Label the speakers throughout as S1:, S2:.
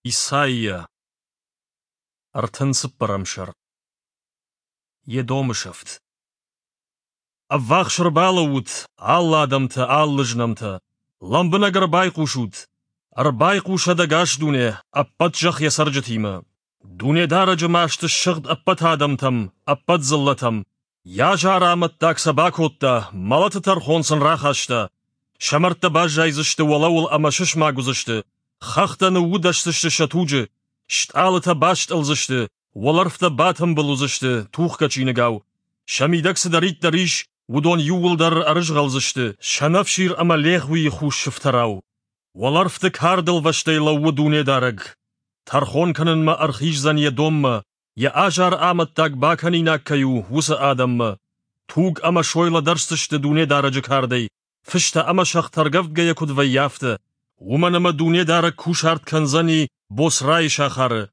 S1: Исайя, 34-ӕм сӕр. Едомы сӕфт. Ӕввахс ӕрбалӕуут, алы адӕмтӕ, алы знӕмтӕ! Лӕмбынӕг ӕрбайхъусут! Ӕрбайхъусӕд ӕгас дуне, ӕппӕт зӕхх йӕ цӕрджытимӕ! Дунедарӕджы маст ссыгъд ӕппӕт адӕмтӕм, ӕппӕт дзыллӕтӕм. Йӕ азары амӕттаг сӕ бакодта, мӕлӕты тӕрхон сын рахаста. Сӕ мӕрдтӕ баззайдзысты уӕлӕуыл ӕмӕ сысмаг уыдзысты, хӕхтӕ ныуудӕсдзысты сӕ туджы, стъалытӕ бастъӕлдзысты, уӕлӕрвтӕ батымбыл уыдзысты тухгӕ чиныгау. Сӕ мидӕг цыдӕриддӕр ис, уыдон иууылдӕр ӕрызгъӕлдзысты, сӕнӕфсир ӕмӕ легъуийы хус сыфтӕрау. Уӕлӕрвты кардылвӕстӕй лӕууы Дунедарӕг. Тӕрхон кӕнынмӕ ӕрхиздзӕн йӕ доммӕ, йӕ азар амӕттаг бакӕнинаг кӕй у, уыцы адӕммӕ. Туг ӕмӕ сой лӕдӕрсдзысты Дунедарӕджы кардӕй, фыстӕ ӕмӕ сӕгътӕ ӕргӕвдгӕйӕ куыд вӕййы, афтӕ. Уымӕн ӕмӕ Дунедарӕг кусарт кӕндзӕни Боцрайы сахары,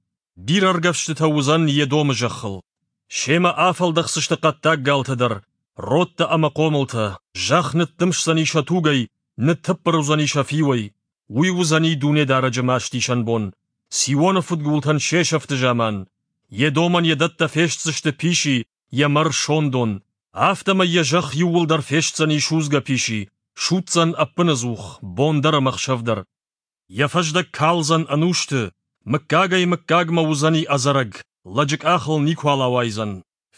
S1: бирӕ ӕргӕвстытӕ уыдзӕн Едомы зӕххыл. Семӕ афӕлдӕхдзысты хъӕддаг галтӕ дӕр, родтӕ ӕмӕ хъомылтӕ, зӕхх ныддымсдзӕни сӕ тугӕй, ныттыппыр уыдзӕни сӕ фиуӕй. Уый уыдзӕни Дунедарӕджы мастисӕн бон, Сионы фыдгултӕн се сӕфты заман. Едомӕн йӕ дӕттӕ фестдзысты писи, йӕ мӕр сондон. Афтӕмӕй йӕ зӕхх иууылдӕр фестдзӕни судзгӕ писи, судздзӕн ӕппынӕдзух, бон дӕр ӕмӕ ӕхсӕв дӕр. Йӕ фӕздӕг кӕлдзӕн ӕнусты, мыггагӕй-мыггагмӕ уыдзӕни ӕдзӕрӕг, лӕджы къахыл никуал ауайдзӕн.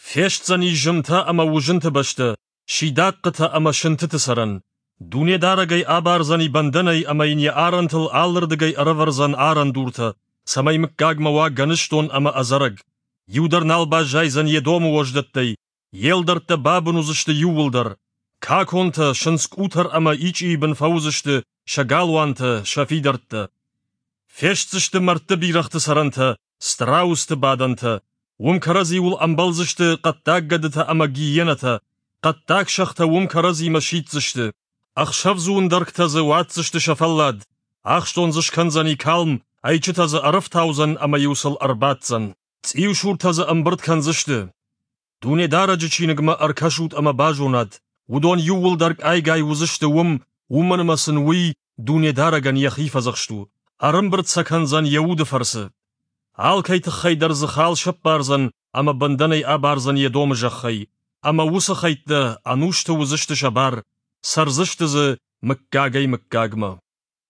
S1: Фестдзӕни зымтӕ ӕмӕ уызынты бӕстӕ, сидахъхъытӕ ӕмӕ сынтыты цӕрӕн. Дунедарӕг ӕй абардзӕни бӕндӕнӕй ӕмӕ йын йӕ арӕнтыл алырдыгӕй ӕрӕвӕрдзӕн арӕндуртӕ, цӕмӕй мыггагмӕ уа гӕныстон ӕмӕ ӕдзӕрӕг. Иу дӕр нал баззайдзӕн Едомы уӕздӕттӕй, йе лдӕрттӕ бабын уыдзысты иууылдӕр. Каконтӕ, сындзкъутӕр ӕмӕ ичъийы бын фӕуыдзысты сӕ галуантӕ, сӕ фидӕрттӕ. Фестдзысты мӕрдты бирӕгъты цӕрӕнтӕ, страусты бадӕнтӕ. Уым кӕрӕдзиуыл ӕмбӕлдзысты хъӕддаг гӕдытӕ ӕмӕ гиенӕтӕ, хъӕддаг сӕгътӕ уым кӕрӕдзимӕ сиддзысты. Ӕхсӕвдзу ӕндӕргтӕ дзы уадздзысты сӕ фӕллад, ахстон дзы скӕндзӕни калм, ӕйчытӕ дзы ӕрӕфтаудзӕн ӕмӕ-иу сыл ӕрбаддзӕн. Цъиусуртӕ дзы ӕмбырд кӕндзысты. Дунедарӕджы чиныгмӕ ӕркӕсут ӕмӕ базонат, уыдон иууылдӕр къайгай уыдзысты уым, уымӕн ӕмӕ сын уый Дунедарӕгӕн йӕхи фӕдзӕхст у. Ӕрӕмбырд сӕ кӕндзӕн йӕ уды фӕрцы. Алкӕй тыххӕй дӕр дзы хал сӕппардзӕн ӕмӕ бӕндӕнӕй абардзӕн Едомы зӕххӕй, ӕмӕ уыцы хӕйттӕ ӕнусты уыдзысты сӕ бар, цӕрдзысты дзы мыггагӕй-мыггагмӕ.